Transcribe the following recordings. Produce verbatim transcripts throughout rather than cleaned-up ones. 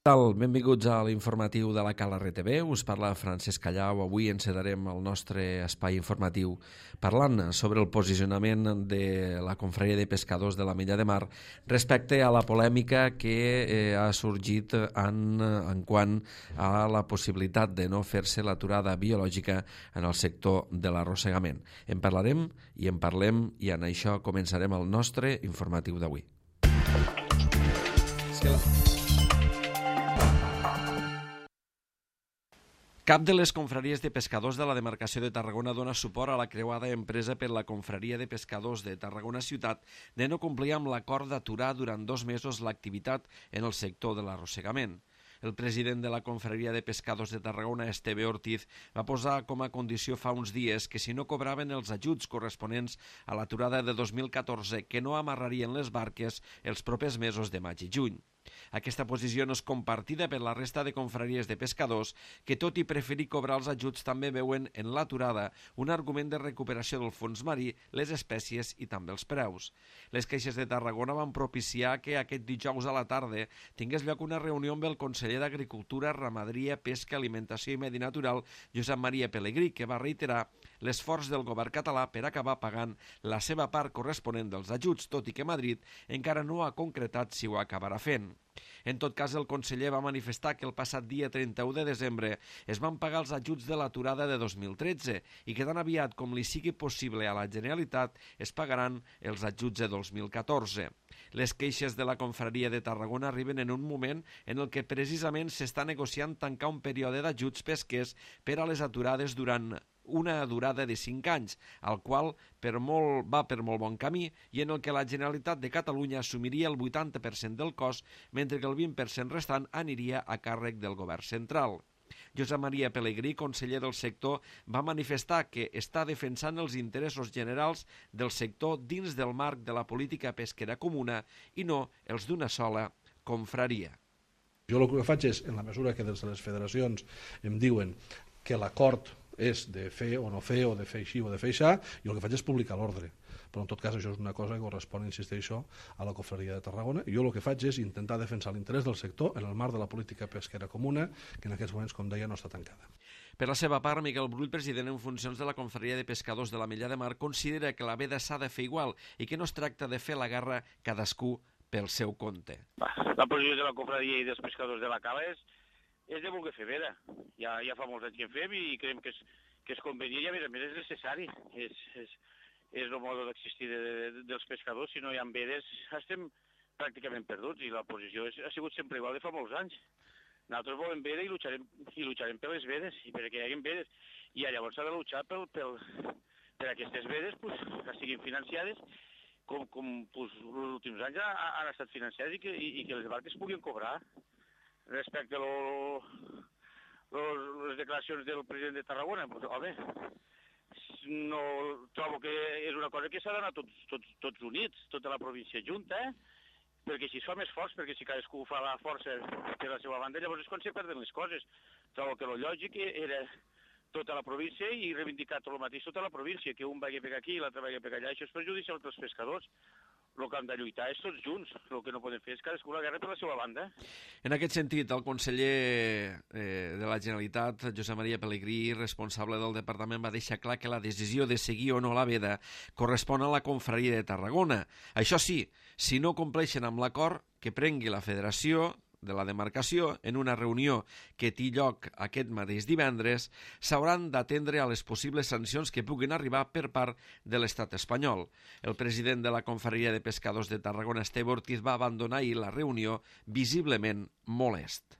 Benvinguts a l'informatiu de la Cala R T V. Us parla Francesc Callau. Avui encetarem el nostre espai informatiu parlant sobre el posicionament de la Confraria de Pescadors de la Mella de Mar respecte a la polèmica que eh, ha sorgit en, en quant a la possibilitat de no fer-se l'aturada biològica en el sector de l'arrossegament. En parlarem i en parlem i en això començarem el nostre informatiu d'avui. És que la... Cap de les confraries de pescadors de la demarcació de Tarragona dona suport a la creuada empresa per la Confraria de Pescadors de Tarragona Ciutat de no complir amb l'acord d'aturar durant dos mesos l'activitat en el sector de l'arrossegament. El president de la Confraria de Pescadors de Tarragona, Esteve Ortiz, va posar com a condició fa uns dies que si no cobraven els ajuts corresponents a l'aturada de dos mil catorze, que no amarrarien les barques els propers mesos de maig i juny. Aquesta posició no és compartida per la resta de confraries de pescadors que, tot i preferir cobrar els ajuts, també veuen en l'aturada un argument de recuperació del fons marí, les espècies i també els preus. Les queixes de Tarragona van propiciar que aquest dijous a la tarda tingués lloc una reunió amb el conseller d'Agricultura, Ramaderia, Pesca, Alimentació i Medi Natural, Josep Maria Pelegrí, que va reiterar l'esforç del govern català per acabar pagant la seva part corresponent dels ajuts, tot i que Madrid encara no ha concretat si ho acabarà fent. En tot cas, el conseller va manifestar que el passat dia trenta-u de desembre es van pagar els ajuts de l'aturada de dos mil tretze i que tan aviat com li sigui possible a la Generalitat es pagaran els ajuts de dos mil catorze. Les queixes de la Confraria de Tarragona arriben en un moment en el que precisament s'està negociant tancar un període d'ajuts pesquers per a les aturades durant una durada de cinc anys, el qual per molt, va per molt bon camí i en el que la Generalitat de Catalunya assumiria el vuitanta per cent del cost, mentre que el vint per cent restant aniria a càrrec del govern central. Josep Maria Pelegrí, conseller del sector, va manifestar que està defensant els interessos generals del sector dins del marc de la política pesquera comuna i no els d'una sola confraria. Jo el que faig és, en la mesura que des de les federacions em diuen que l'acord és de fer o no fer, o de fer així o de fer això, jo el que faig és publicar l'ordre. Però en tot cas això és una cosa que correspon, insisteixo, a la Confraria de Tarragona. Jo el que faig és intentar defensar l'interès del sector en el marc de la política pesquera comuna, que en aquests moments, com deia, no està tancada. Per la seva part, Miquel Brull, president en funcions de la Confraria de Pescadors de la Mella de Mar, considera que la veda s'ha de fer igual i que no es tracta de fer la guerra cadascú pel seu compte. La posició de la Confraria i dels pescadors de la Cala és és de voler fer veda. Ja, ja fa molts anys que en fem i creiem que és, que és convenient i a més a més és necessari. És, és, és el mode d'existir de, de, dels pescadors. Si no hi ha vedes estem pràcticament perduts i la posició és, ha sigut sempre igual de fa molts anys. Nosaltres volem veda i luxarem, i luxarem per les vedes i perquè hi hagi vedes. I llavors s'ha de luchar pel, pel, per aquestes vedes pues, que siguin financiades com, com pues, els últims anys han estat financiades i que, i, i que les barques puguin cobrar. Respecte a lo, lo, les declaracions del president de Tarragona, pues, home, no, trobo que és una cosa que s'ha d'anar tots, tots, tots units, tota la província junta, eh? Perquè si es fa més forts, perquè si cadascú fa la força per la seva banda, llavors és quan se perden les coses. Trobo que el lògic era tota la província i reivindicar tot el mateix tota la província, que un vagi per aquí i l'altre vagi per allà, això és perjudicial als pescadors. El que hem de lluitar és tots junts. El que no podem fer és cadascú la guerra per la seva banda. En aquest sentit, el conseller eh, de la Generalitat, Josep Maria Pelegrí, responsable del departament, va deixar clar que la decisió de seguir o no la veda correspon a la Confraria de Tarragona. Això sí, si no compleixen amb l'acord que prengui la Federació de la demarcació en una reunió que té lloc aquest mateix divendres, s'hauran d'atendre a les possibles sancions que puguin arribar per part de l'estat espanyol. El president de la Confraria de Pescadors de Tarragona, Esteve Ortiz, va abandonar ahir la reunió visiblement molest.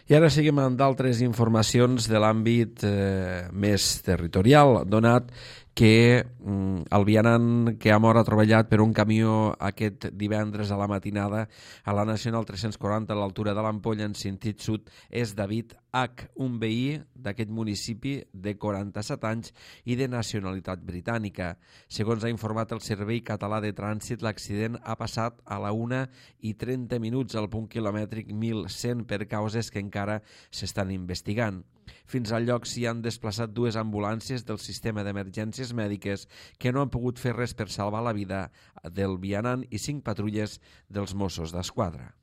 I ara seguim amb d'altres informacions de l'àmbit eh, més territorial, donat que mm, el vianant que ha mort atropellat per un camió aquest divendres a la matinada a la Nacional tres-cents quaranta a l'altura de l'Ampolla en sentit sud és David H, un veí d'aquest municipi de quaranta-set anys i de nacionalitat britànica. Segons ha informat el Servei Català de Trànsit, l'accident ha passat a la una i trenta minuts al punt quilomètric mil cent per causes que encara s'estan investigant. Fins al lloc s'hi han desplaçat dues ambulàncies del sistema d'emergències mèdiques que no han pogut fer res per salvar la vida del vianant i cinc patrulles dels Mossos d'Esquadra.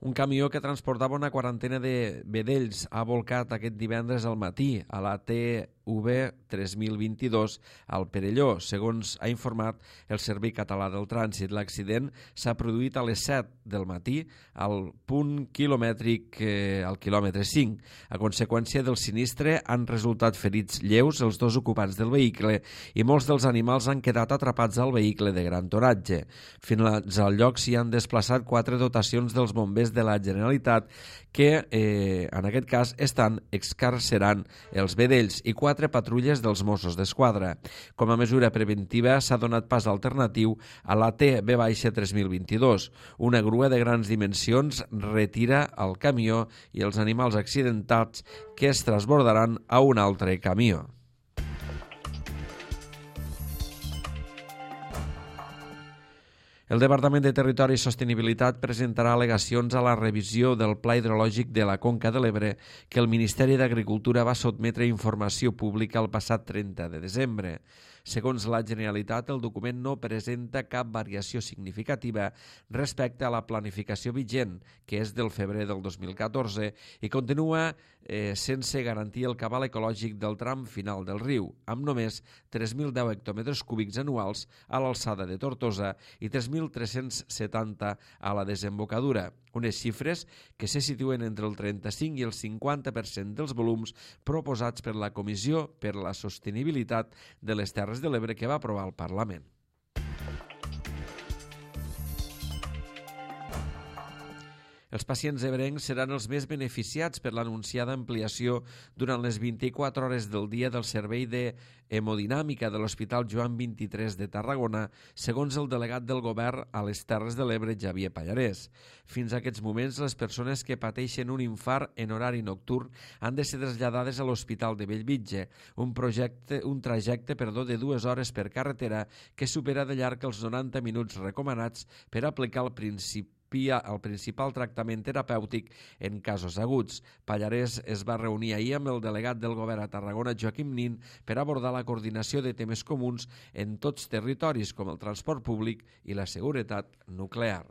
Un camió que transportava una quarantena de vedells ha volcat aquest divendres al matí a la T V tres mil vint-i-dos al Perelló, segons ha informat el Servei Català del Trànsit. L'accident s'ha produït a les set del matí al punt quilomètric, eh, al quilòmetre cinc. A conseqüència del sinistre han resultat ferits lleus els dos ocupants del vehicle i molts dels animals han quedat atrapats al vehicle de gran toratge. Fins al lloc s'hi han desplaçat quatre dotacions dels bombers de la Generalitat que, eh, en aquest cas, estan excarcerant els vedells i quatre patrulles dels Mossos d'Esquadra. Com a mesura preventiva s'ha donat pas alternatiu a la T V tres mil vint-i-dos. Una grua de grans dimensions retira el camió i els animals accidentats que es transbordaran a un altre camió. El Departament de Territori i Sostenibilitat presentarà al·legacions a la revisió del Pla Hidrològic de la Conca de l'Ebre que el Ministeri d'Agricultura va sotmetre a informació pública el passat trenta de desembre. Segons la Generalitat, el document no presenta cap variació significativa respecte a la planificació vigent, que és del febrer del dos mil catorze, i continua eh, sense garantir el cabal ecològic del tram final del riu, amb només tres mil deu hectòmetres cúbics anuals a l'alçada de Tortosa i tres mil tres-cents setanta a la desembocadura, unes xifres que se situen entre el trenta-cinc i el cinquanta per cent dels volums proposats per la Comissió per la Sostenibilitat de les Terres de l'Ebre que va aprovar el Parlament. Els pacients ebrencs seran els més beneficiats per l'anunciada ampliació durant les vint-i-quatre hores del dia del servei d'hemodinàmica de l'Hospital Joan vint-i-tres de Tarragona, segons el delegat del govern a les Terres de l'Ebre, Xavier Pallarès. Fins a aquests moments, les persones que pateixen un infart en horari nocturn han de ser traslladades a l'Hospital de Bellvitge, un, projecte, un trajecte perdó, de dues hores per carretera que supera de llarg els noranta minuts recomanats per aplicar el principi el principal tractament terapèutic en casos aguts. Pallarès es va reunir ahir amb el delegat del govern a Tarragona, Joaquim Nin, per abordar la coordinació de temes comuns en tots territoris, com el transport públic i la seguretat nuclear.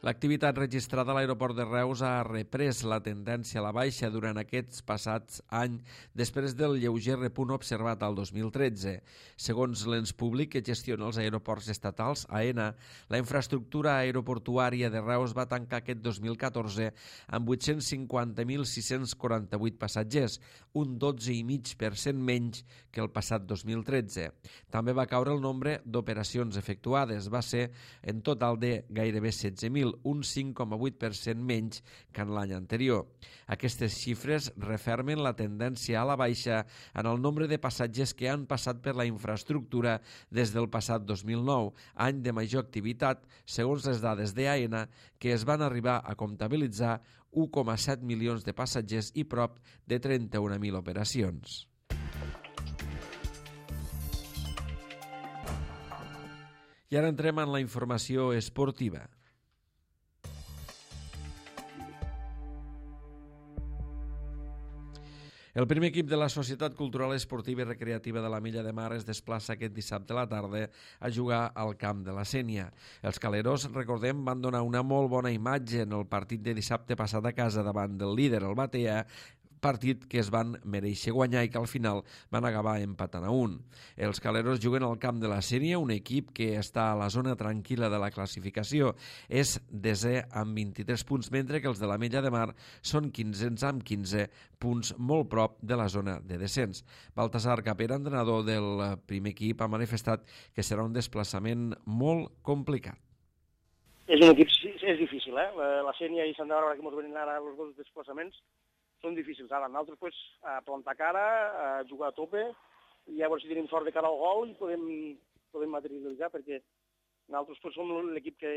L'activitat registrada a l'aeroport de Reus ha reprès la tendència a la baixa durant aquests passats anys després del lleuger repunt observat al dos mil tretze. Segons l'ens públic que gestiona els aeroports estatals, AENA, la infraestructura aeroportuària de Reus va tancar aquest dos mil catorze amb vuit-cents cinquanta mil sis-cents quaranta-vuit passatgers, un dotze coma cinc per cent menys que el passat dos mil tretze. També va caure el nombre d'operacions efectuades, va ser en total de gairebé setze mil, un cinc coma vuit per cent menys que en l'any anterior. Aquestes xifres refermen la tendència a la baixa en el nombre de passatgers que han passat per la infraestructura des del passat dos mil nou, any de major activitat, segons les dades d'AENA, que es van arribar a comptabilitzar u coma set milions de passatgers i prop de trenta-un mil operacions. I ara entrem en la informació esportiva. El primer equip de la Societat Cultural Esportiva i Recreativa de la Milla de Mar es desplaça aquest dissabte a la tarda a jugar al camp de la Sénia. Els caleros, recordem, van donar una molt bona imatge en el partit de dissabte passat a casa davant del líder, el Batea, partit que es van mereixer guanyar i que al final van acabar empatant a un. Els caleros juguen al camp de la Sénia, un equip que està a la zona tranquil·la de la classificació. És desè amb vint-i-tres punts, mentre que els de la Mella de Mar són quinzens amb quinze punts, molt prop de la zona de descens. Baltasar Capera, entrenador del primer equip, ha manifestat que serà un desplaçament molt complicat. És un equip, és difícil, eh? La Sénia i Sant Bàrbara, que ens venen ara els dos desplaçaments, són difícils. Ara, nosaltres, pues, a plantar cara, a jugar a tope, i a veure si tenim sort de cara al gol i podem, podem materialitzar, perquè nosaltres pues, som l'equip que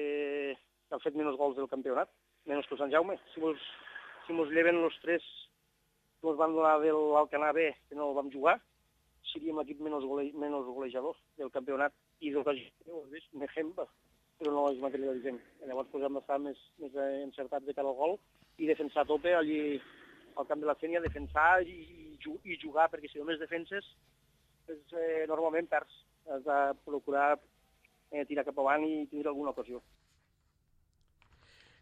ha fet menys gols del campionat, menys que Sant Jaume. Si mos, si mos lleven els tres que ens van donar de l'Alcanar B, que no el vam jugar, seríem l'equip menys, gole, menys golejador del campionat i del que Mejemba, però no els materialitzem. Llavors pues, hem d'estar més, més encertats de cara al gol i defensar a tope allí al camp de la Sénia, defensar i, i jugar, perquè si només defenses, pues, eh, normalment perds. Has de procurar eh, tirar cap avant i tindre alguna ocasió.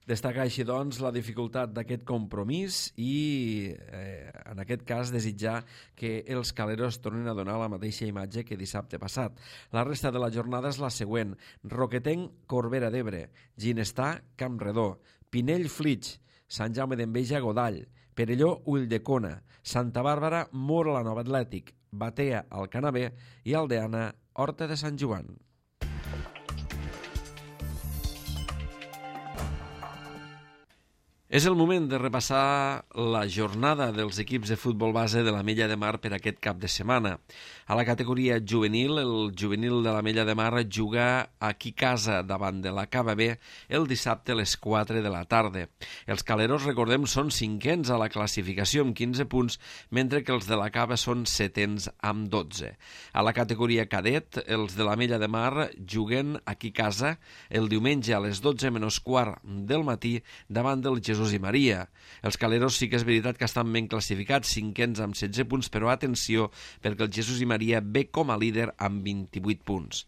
Destacar així, doncs, la dificultat d'aquest compromís i, eh, en aquest cas, desitjar que els caleros tornin a donar la mateixa imatge que dissabte passat. La resta de la jornada és la següent. Roquetenc, Corbera d'Ebre, Ginestà, Campredó, Pinell, Flix, Sant Jaume d'Enveja, Godall, Perelló, Ulldecona, Santa Bàrbara, Mora la Nova Atlètic, Batea, Alcanar B i Aldeana, Horta de Sant Joan. És el moment de repassar la jornada dels equips de futbol base de l'Ametlla de Mar per aquest cap de setmana. A la categoria juvenil, el juvenil de l'Ametlla de Mar juga aquí a casa davant de la Cava B el dissabte a les quatre de la tarda. Els caleros, recordem, són cinquens a la classificació amb quinze punts, mentre que els de la Cava són setens amb dotze. A la categoria cadet, els de l'Ametlla de Mar juguen aquí a casa el diumenge a les dotze menys quart del matí davant del Jesús i Maria. Els caleros sí que és veritat que estan ben classificats, cinquens amb setze punts, però atenció, perquè el Jesús i Maria ve com a líder amb vint-i-vuit punts.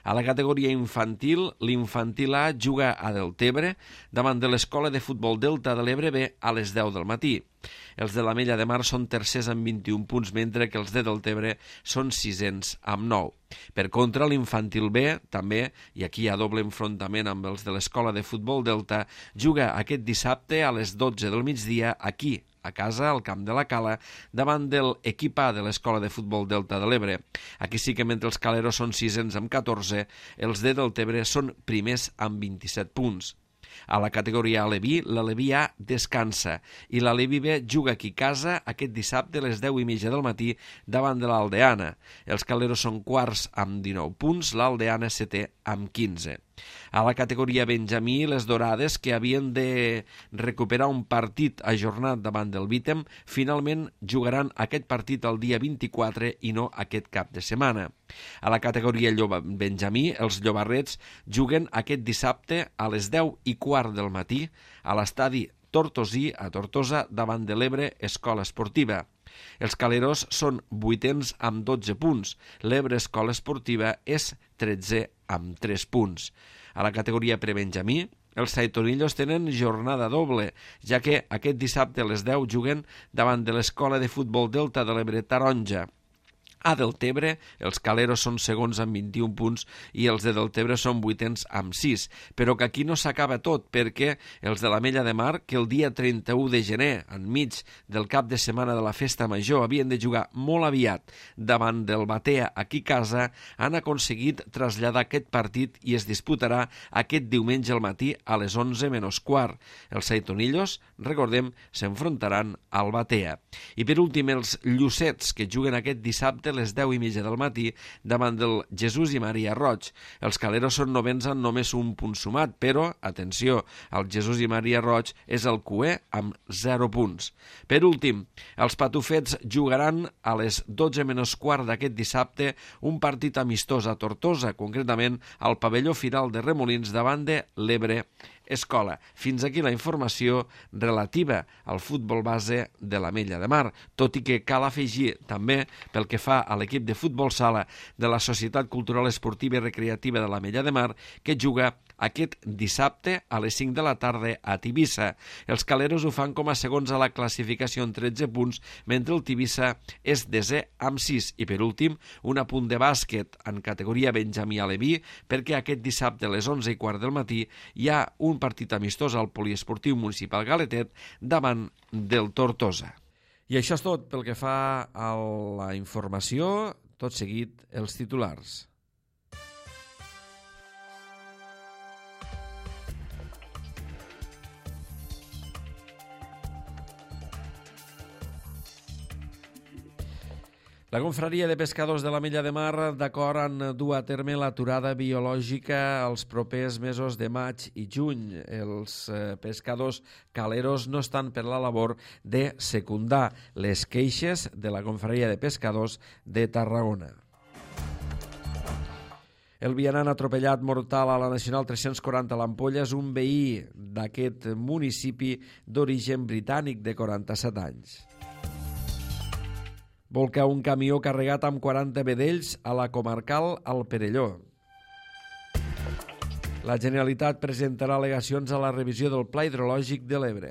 A la categoria infantil, l'infantil A juga a Deltebre davant de l'Escola de Futbol Delta de l'Ebre B a les deu del matí. Els de l'Ametlla de Mar són tercers amb vint-i-un punts, mentre que els de Deltebre són sisens amb nou. Per contra, l'infantil B, també, i aquí hi ha doble enfrontament amb els de l'Escola de Futbol Delta, juga aquest dissabte a les dotze del migdia aquí, a casa, al camp de la Cala, davant del equip A de l'Escola de Futbol Delta de l'Ebre. Aquí sí que mentre els caleros són sisens amb catorze, els de Deltebre són primers amb vint-i-set punts. A la categoria Aleví, l'Aleví A descansa i l'Aleví B juga aquí a casa aquest dissabte a les deu i mitja del matí davant de l'Aldeana. Els caleros són quarts amb dinou punts, l'Aldeana setè amb quinze. A la categoria Benjamí, les Dorades, que havien de recuperar un partit ajornat davant del Vítem, finalment jugaran aquest partit el dia vint-i-quatre i no aquest cap de setmana. A la categoria Lloba Benjamí, els llobarrets juguen aquest dissabte a les deu i quart del matí a l'estadi Tortosí, a Tortosa, davant de l'Ebre Escola Esportiva. Els caleros són vuitens amb dotze punts. L'Ebre Escola Esportiva és tretzè amb tres punts. A la categoria prebenjamí, els Saitonillos tenen jornada doble, ja que aquest dissabte a les deu juguen davant de l'Escola de Futbol Delta de l'Ebre Taronja. A Deltebre, els caleros són segons amb vint-i-un punts i els de Deltebre són vuitens amb sis, però que aquí no s'acaba tot, perquè els de l'Ametlla de Mar, que el dia trenta-u de gener, enmig del cap de setmana de la Festa Major, havien de jugar molt aviat davant del Batea aquí a casa, han aconseguit traslladar aquest partit i es disputarà aquest diumenge al matí a les onze menys quart. Els Saitonillos, recordem, s'enfrontaran al Batea. I per últim, els Llucets, que juguen aquest dissabte a les deu i mitja del matí davant del Jesús i Maria Roig. Els caleros són novens amb només un punt sumat, però, atenció, el Jesús i Maria Roig és el cué amb zero punts. Per últim, els patufets jugaran a les dotze menys quart d'aquest dissabte un partit amistós a Tortosa, concretament al pavelló Firal de Remolins davant de l'Ebre Escola. Fins aquí la informació relativa al futbol base de l'Ametlla de Mar, tot i que cal afegir també pel que fa a l'equip de futbol sala de la Societat Cultural Esportiva i Recreativa de l'Ametlla de Mar, que juga aquest dissabte a les cinc de la tarda a Tivissa. Els caleros ho fan com a segons a la classificació amb tretze punts, mentre el Tivissa és desè amb sis. I per últim, un apunt de bàsquet en categoria Benjamí Aleví, perquè aquest dissabte a les onze i quart del matí hi ha un partit amistós al Poliesportiu Municipal Galetet davant del Tortosa. I això és tot pel que fa a la informació. Tot seguit, els titulars. La confraria de pescadors de la Mella de Mar d'acord en dur a terme l'aturada biològica els propers mesos de maig i juny. Els eh, pescadors caleros no estan per la labor de secundar les queixes de la confraria de pescadors de Tarragona. El vianant atropellat mortal a la Nacional tres-cents quaranta a l'Ampolla és un veí d'aquest municipi d'origen britànic de quaranta-set anys. Volca un camió carregat amb quaranta vedells a la comarcal al Perelló. La Generalitat presentarà al·legacions a la revisió del Pla Hidrològic de l'Ebre.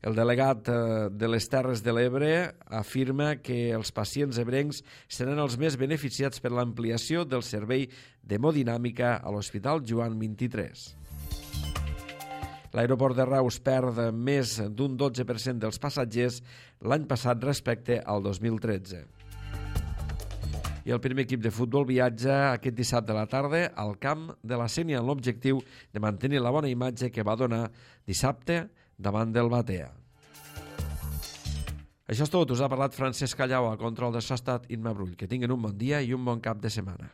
El delegat de les Terres de l'Ebre afirma que els pacients ebrencs seran els més beneficiats per l'ampliació del servei d'hemodinàmica a l'Hospital Joan vint-i-tres. L'aeroport de Reus perd més d'un dotze per cent dels passatgers l'any passat respecte al dos mil tretze. I el primer equip de futbol viatja aquest dissabte a la tarda al camp de la Sénia amb l'objectiu de mantenir la bona imatge que va donar dissabte davant del Batea. Això és tot. Us ha parlat Francesc Callau. A control de so ha estat Imma Brull. Que tinguin un bon dia i un bon cap de setmana.